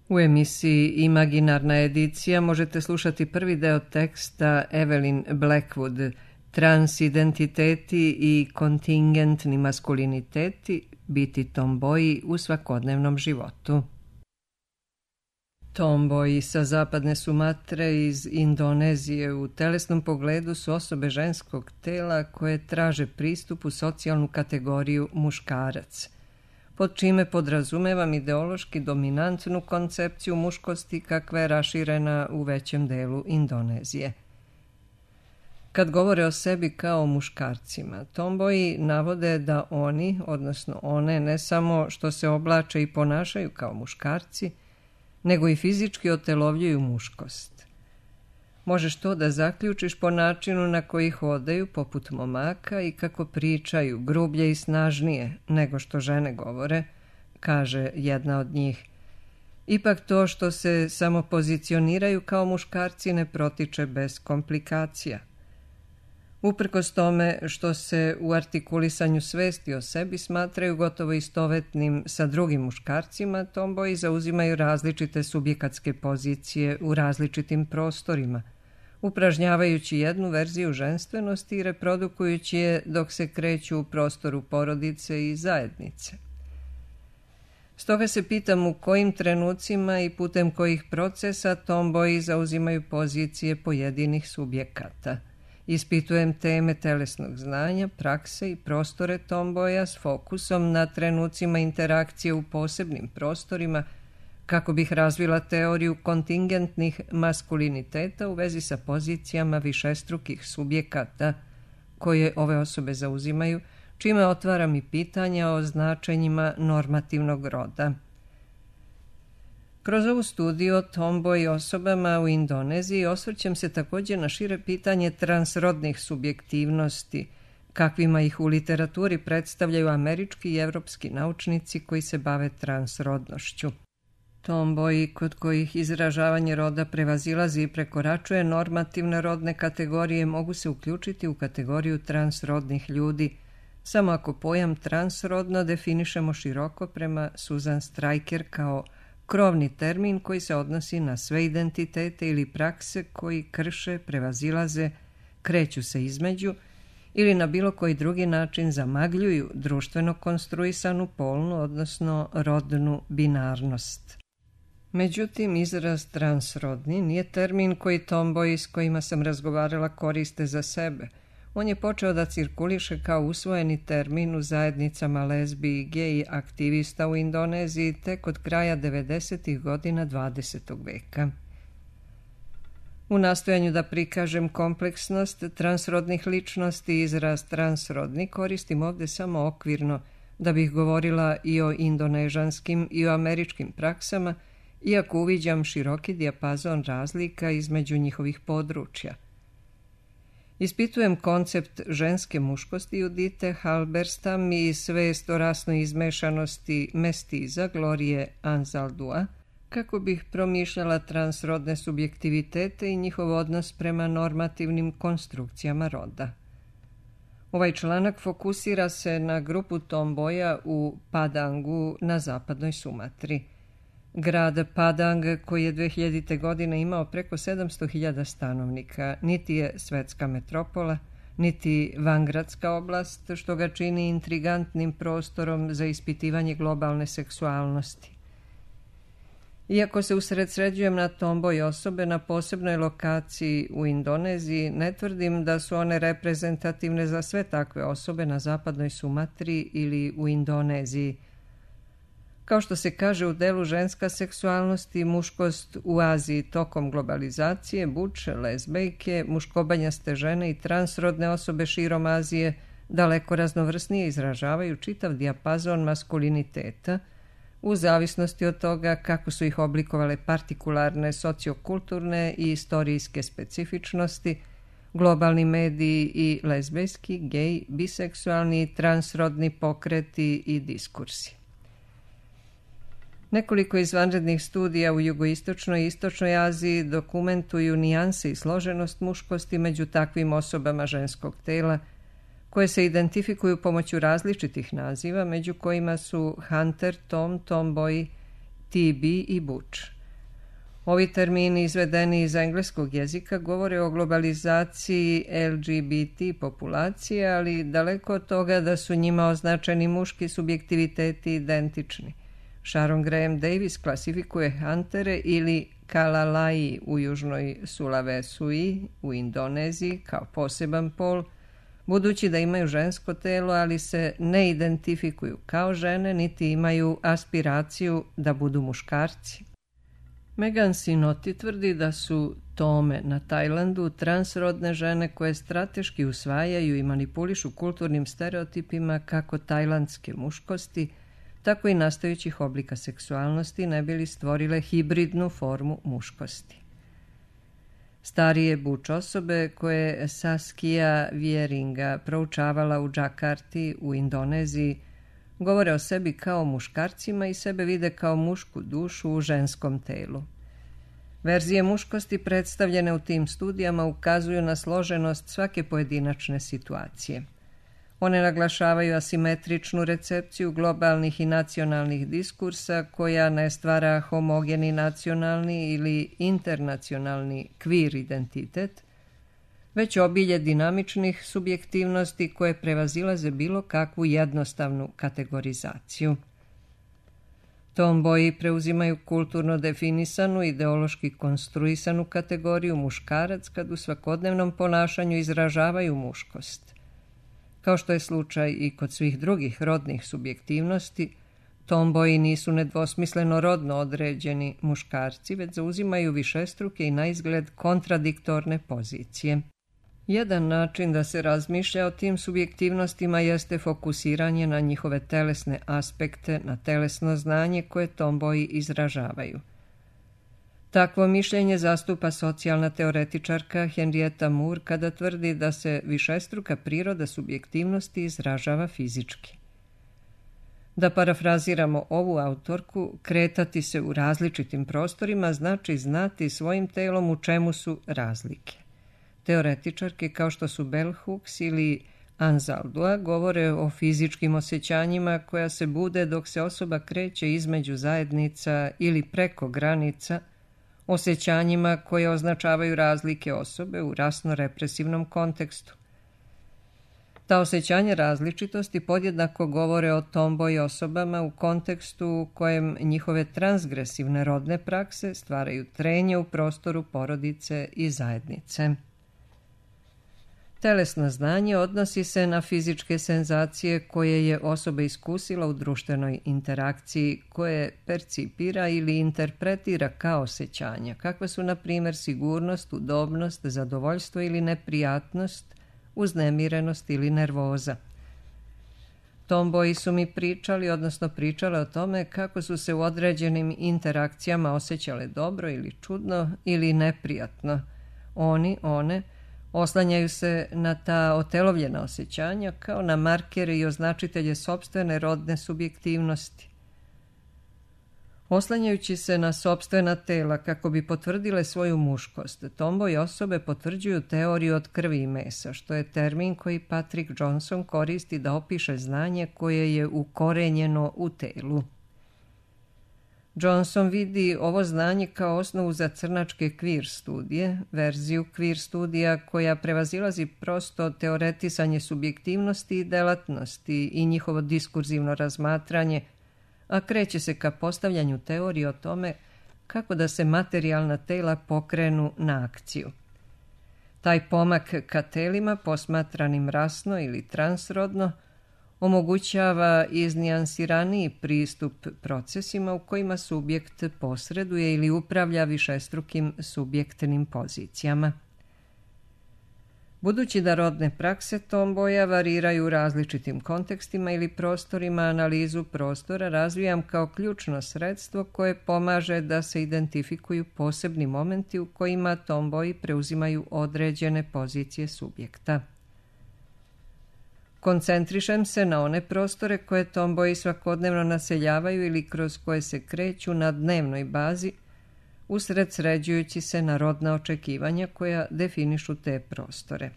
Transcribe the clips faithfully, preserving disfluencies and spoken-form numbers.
U emisiji Imaginarna edicija možete slušati prvi deo teksta Evelyn Blackwood, Transidentiteti i kontingentni maskuliniteti, biti tomboji u svakodnevnom životu. Tomboji sa zapadne Sumatre iz Indonezije u telesnom pogledu su osobe ženskog tela koje traže pristup u socijalnu kategoriju muškarac, pod čime podrazumevam ideološki dominantnu koncepciju muškosti kakva je raširena u većem delu Indonezije. Kad govore o sebi kao muškarcima, tomboji navode da oni, odnosno one, ne samo što se oblače i ponašaju kao muškarci, nego i fizički otelovljuju muškost. Možeš to da zaključiš po načinu na koji hodaju poput momaka i kako pričaju grublje i snažnije nego što žene govore, kaže jedna od njih. Ipak to što se samo pozicioniraju kao muškarci ne protiče bez komplikacija. Uprkos tome što se u artikulisanju svesti o sebi smatraju gotovo istovetnim sa drugim muškarcima, tomboji zauzimaju različite subjekatske pozicije u različitim prostorima, upražnjavajući jednu verziju ženstvenosti i reprodukujući je dok se kreću u prostoru porodice i zajednice. Stoga se pitam u kojim trenucima i putem kojih procesa tomboji zauzimaju pozicije pojedinih subjekata. Ispitujem teme telesnog znanja, prakse i prostore tomboja s fokusom na trenucima interakcije u posebnim prostorima kako bih razvila teoriju kontingentnih maskuliniteta u vezi sa pozicijama višestrukih subjekata koje ove osobe zauzimaju, čime otvaram i pitanja o značenjima normativnog roda. Kroz ovu studiju o tomboy osobama u Indoneziji osvrćem se također na šire pitanje transrodnih subjektivnosti, kakvima ih u literaturi predstavljaju američki i evropski naučnici koji se bave transrodnošću. Tomboji kod kojih izražavanje roda prevazilazi i prekoračuje normativne rodne kategorije mogu se uključiti u kategoriju transrodnih ljudi, samo ako pojam transrodno definišemo široko prema Susan Stryker kao krovni termin koji se odnosi na sve identitete ili prakse koji krše, prevazilaze, kreću se između ili na bilo koji drugi način zamagljuju društveno konstruisanu polnu, odnosno rodnu binarnost. Međutim, izraz transrodni nije termin koji tomboji s kojima sam razgovarala koriste za sebe. On je počeo da cirkuliše kao usvojeni termin u zajednicama lezbi i gej aktivista u Indoneziji tek od kraja devedesetih godina dvadesetog veka. U nastojanju da prikažem kompleksnost transrodnih ličnosti, izraz transrodni koristim ovdje samo okvirno da bih govorila i o indonežanskim i o američkim praksama, iako uviđam široki dijapazon razlika između njihovih područja. Ispitujem koncept ženske muškosti Judite Halberstam i svest o rasnoj izmešanosti mestiza Glorije Anzaldua, kako bih promišljala transrodne subjektivitete i njihov odnos prema normativnim konstrukcijama roda. Ovaj članak fokusira se na grupu tomboja u Padangu na zapadnoj Sumatri. Grad Padang, koji je dve hiljadite. godine imao preko sedamsto hiljada stanovnika, niti je svetska metropola, niti vangradska oblast, što ga čini intrigantnim prostorom za ispitivanje globalne seksualnosti. Iako se usredsređujem na tomboy osobe na posebnoj lokaciji u Indoneziji, ne tvrdim da su one reprezentativne za sve takve osobe na zapadnoj Sumatri ili u Indoneziji. Kao što se kaže u delu ženska seksualnost i muškost u Aziji tokom globalizacije, buče, lezbejke, muškobanjaste žene i transrodne osobe širom Azije daleko raznovrsnije izražavaju čitav dijapazon maskuliniteta, u zavisnosti od toga kako su ih oblikovale partikularne sociokulturne i istorijske specifičnosti, globalni mediji i lezbejski, gej, biseksualni i transrodni pokreti i diskursi. Nekoliko izvanrednih studija u jugoistočnoj i istočnoj Aziji dokumentuju nijanse i složenost muškosti među takvim osobama ženskog tela, koje se identifikuju pomoću različitih naziva, među kojima su Hunter, Tom, Tomboy, T B i Butch. Ovi termini izvedeni iz engleskog jezika govore o globalizaciji L G B T populacije, ali daleko od toga da su njima označeni muški subjektiviteti identični. Sharon Graham Davis klasifikuje Huntere ili Kalalai u južnoj Sulawesiji u Indoneziji kao poseban pol, budući da imaju žensko telo, ali se ne identifikuju kao žene, niti imaju aspiraciju da budu muškarci. Megan Sinoti tvrdi da su tome na Tajlandu transrodne žene koje strateški usvajaju i manipulišu kulturnim stereotipima kako tajlandske muškosti, tako i nastajućih oblika seksualnosti ne bi li stvorile hibridnu formu muškosti. Starije buč osobe koje je Saskia Vieringa proučavala u Džakarti u Indoneziji govore o sebi kao muškarcima i sebe vide kao mušku dušu u ženskom telu. Verzije muškosti predstavljene u tim studijama ukazuju na složenost svake pojedinačne situacije. One naglašavaju asimetričnu recepciju globalnih i nacionalnih diskursa koja ne stvara homogeni nacionalni ili internacionalni queer identitet, već obilje dinamičnih subjektivnosti koje prevazilaze bilo kakvu jednostavnu kategorizaciju. Tomboji preuzimaju kulturno definisanu, ideološki konstruisanu kategoriju muškarac kad u svakodnevnom ponašanju izražavaju muškost. Kao što je slučaj i kod svih drugih rodnih subjektivnosti, tomboji nisu nedvosmisleno rodno određeni muškarci, već zauzimaju višestruke i naizgled kontradiktorne pozicije. Jedan način da se razmišlja o tim subjektivnostima jeste fokusiranje na njihove telesne aspekte, na telesno znanje koje tomboji izražavaju. Takvo mišljenje zastupa socijalna teoretičarka Henrietta Moore kada tvrdi da se višestruka priroda subjektivnosti izražava fizički. Da parafraziramo ovu autorku, kretati se u različitim prostorima znači znati svojim telom u čemu su razlike. Teoretičarke kao što su Bell Hooks ili Anzaldua govore o fizičkim osjećanjima koja se bude dok se osoba kreće između zajednica ili preko granica, osjećanjima koje označavaju razlike osobe u rasno-represivnom kontekstu. Ta osjećanja različitosti podjednako govore o tomboj osobama u kontekstu u kojem njihove transgresivne rodne prakse stvaraju trenje u prostoru porodice i zajednice. Telesno znanje odnosi se na fizičke senzacije koje je osoba iskusila u društvenoj interakciji, koje percipira ili interpretira kao osjećanja, kakve su, na primjer, sigurnost, udobnost, zadovoljstvo ili neprijatnost, uznemirenost ili nervoza. Tomboji su mi pričali, odnosno pričale o tome kako su se u određenim interakcijama osjećale dobro ili čudno ili neprijatno. Oni, one, oslanjaju se na ta otelovljena osjećanja kao na markere i označitelje sopstvene rodne subjektivnosti. Oslanjajući se na sopstvena tela kako bi potvrdile svoju muškost, tomboji osobe potvrđuju teoriju od krvi i mesa, što je termin koji Patrick Johnson koristi da opiše znanje koje je ukorenjeno u telu. Johnson vidi ovo znanje kao osnovu za crnačke queer studije, verziju queer studija koja prevazilazi prosto teoretisanje subjektivnosti i delatnosti i njihovo diskurzivno razmatranje, a kreće se ka postavljanju teorije o tome kako da se materijalna tela pokrenu na akciju. Taj pomak ka telima, posmatranim rasno ili transrodno, omogućava iznijansiraniji pristup procesima u kojima subjekt posreduje ili upravlja višestrukim subjektnim pozicijama. Budući da rodne prakse tomboja variraju u različitim kontekstima ili prostorima, analizu prostora razvijam kao ključno sredstvo koje pomaže da se identifikuju posebni momenti u kojima tomboji preuzimaju određene pozicije subjekta. Koncentrišem se na one prostore koje tomboji svakodnevno naseljavaju ili kroz koje se kreću na dnevnoj bazi, usred sređujući se na rodna očekivanja koja definišu te prostore.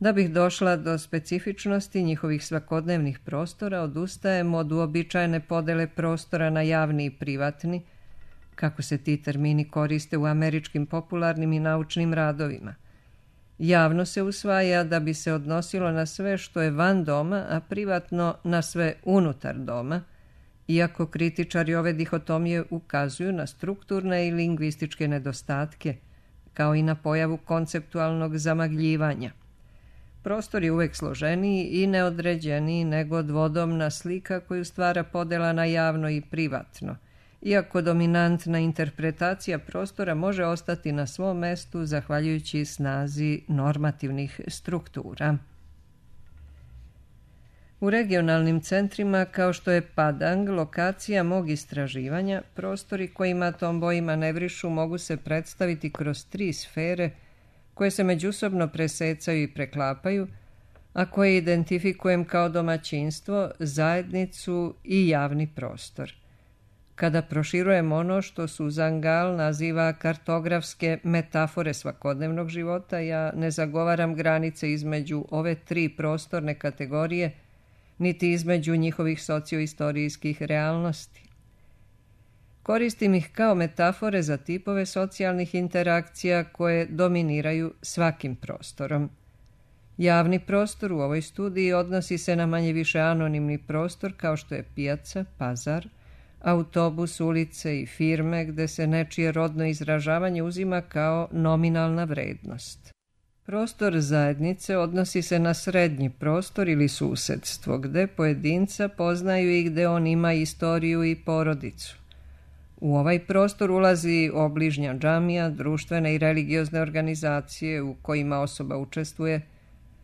Da bih došla do specifičnosti njihovih svakodnevnih prostora, odustajem od uobičajene podele prostora na javni i privatni, kako se ti termini koriste u američkim popularnim i naučnim radovima. Javno se usvaja da bi se odnosilo na sve što je van doma, a privatno na sve unutar doma, iako kritičari ove dihotomije ukazuju na strukturne i lingvističke nedostatke, kao i na pojavu konceptualnog zamagljivanja. Prostor je uvek složeniji i neodređeniji nego dvodomna slika koju stvara podela na javno i privatno, iako dominantna interpretacija prostora može ostati na svom mestu zahvaljujući snazi normativnih struktura. U regionalnim centrima, kao što je Padang, lokacija mog istraživanja, prostori kojima Tomboji manevrišu mogu se predstaviti kroz tri sfere koje se međusobno presecaju i preklapaju, a koje identifikujem kao domaćinstvo, zajednicu i javni prostor. Kada proširujem ono što Suzangal naziva kartografske metafore svakodnevnog života, ja ne zagovaram granice između ove tri prostorne kategorije, niti između njihovih socioistorijskih realnosti. Koristim ih kao metafore za tipove socijalnih interakcija koje dominiraju svakim prostorom. Javni prostor u ovoj studiji odnosi se na manje više anonimni prostor kao što je pijaca, pazar, autobus, ulice i firme gde se nečije rodno izražavanje uzima kao nominalna vrednost. Prostor zajednice odnosi se na srednji prostor ili susedstvo, gde pojedinca poznaju i gde on ima istoriju i porodicu. U ovaj prostor ulazi obližnja džamija, društvene i religiozne organizacije u kojima osoba učestvuje,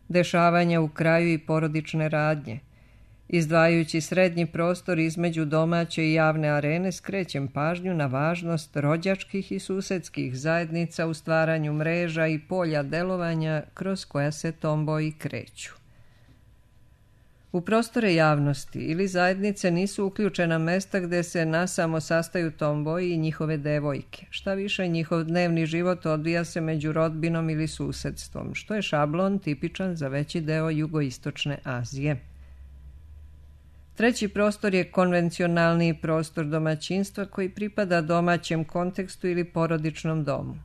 dešavanja u kraju i porodične radnje. Izdvajajući srednji prostor između domaće i javne arene, skrećem pažnju na važnost rođačkih i susedskih zajednica u stvaranju mreža i polja delovanja kroz koja se Tomboji kreću. U prostore javnosti ili zajednice nisu uključena mesta gde se nasamo sastaju Tomboji i njihove devojke. Šta više, njihov dnevni život odvija se među rodbinom ili susedstvom, što je šablon tipičan za veći deo jugoistočne Azije. Treći prostor je konvencionalni prostor domaćinstva koji pripada domaćem kontekstu ili porodičnom domu.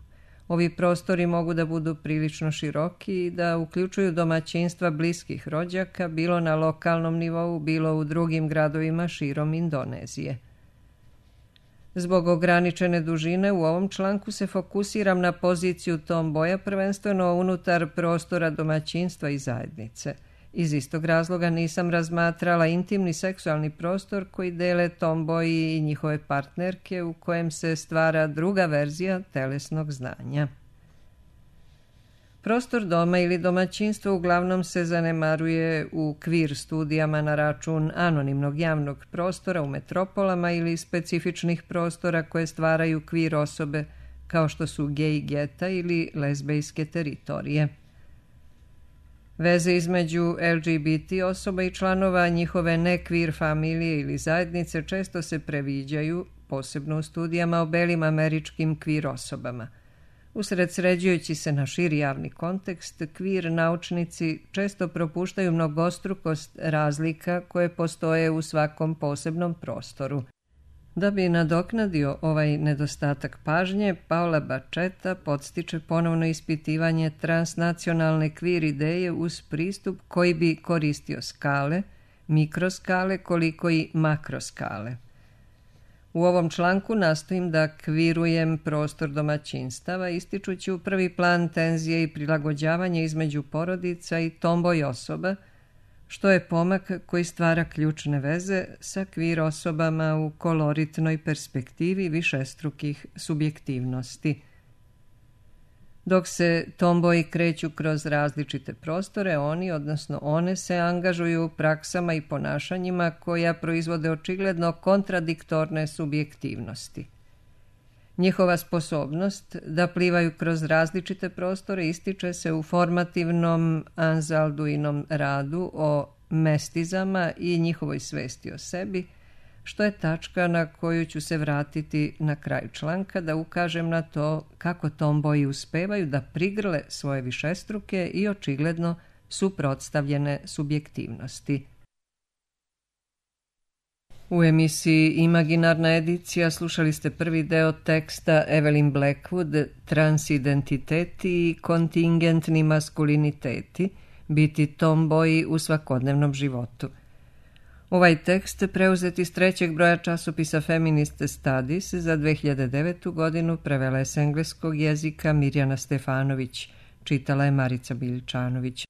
Ovi prostori mogu da budu prilično široki i da uključuju domaćinstva bliskih rođaka, bilo na lokalnom nivou, bilo u drugim gradovima širom Indonezije. Zbog ograničene dužine u ovom članku se fokusiram na poziciju Tomboja prvenstveno unutar prostora domaćinstva i zajednice. Iz istog razloga nisam razmatrala intimni seksualni prostor koji dele Tomboji i njihove partnerke u kojem se stvara druga verzija telesnog znanja. Prostor doma ili domaćinstva uglavnom se zanemaruje u kvir studijama na račun anonimnog javnog prostora u metropolama ili specifičnih prostora koje stvaraju kvir osobe kao što su gej geta ili lezbejske teritorije. Veze između L G B T osoba i članova njihove nekvir familije ili zajednice često se previđaju, posebno u studijama o belim američkim kvir osobama. Usredsređujući se na širi javni kontekst, kvir naučnici često propuštaju mnogostrukost razlika koje postoje u svakom posebnom prostoru. Da bi nadoknadio ovaj nedostatak pažnje, Paola Bacchetta podstiče ponovno ispitivanje transnacionalne kvir ideje uz pristup koji bi koristio skale, mikroskale koliko i makroskale. U ovom članku nastojim da kvirujem prostor domaćinstava, ističući u prvi plan tenzije i prilagođavanje između porodica i tomboj osoba, što je pomak koji stvara ključne veze sa kvir osobama u koloritnoj perspektivi višestrukih subjektivnosti. Dok se tomboji kreću kroz različite prostore, oni, odnosno one, se angažuju u praksama i ponašanjima koja proizvode očigledno kontradiktorne subjektivnosti. Njihova sposobnost da plivaju kroz različite prostore ističe se u formativnom Anzalduinom radu o mestizama i njihovoj svesti o sebi, što je tačka na koju ću se vratiti na kraju članka da ukažem na to kako tomboji uspevaju da prigrle svoje višestruke i očigledno suprotstavljene subjektivnosti. U emisiji Imaginarna edicija slušali ste prvi deo teksta Evelyn Blackwood Transidentiteti i kontingentni maskuliniteti, biti tomboji u svakodnevnom životu. Ovaj tekst preuzet iz trećeg broja časopisa Feminist Studies za dve hiljade devetu godinu prevela je s engleskog jezika Mirjana Stefanović, čitala je Marica Biljčanović.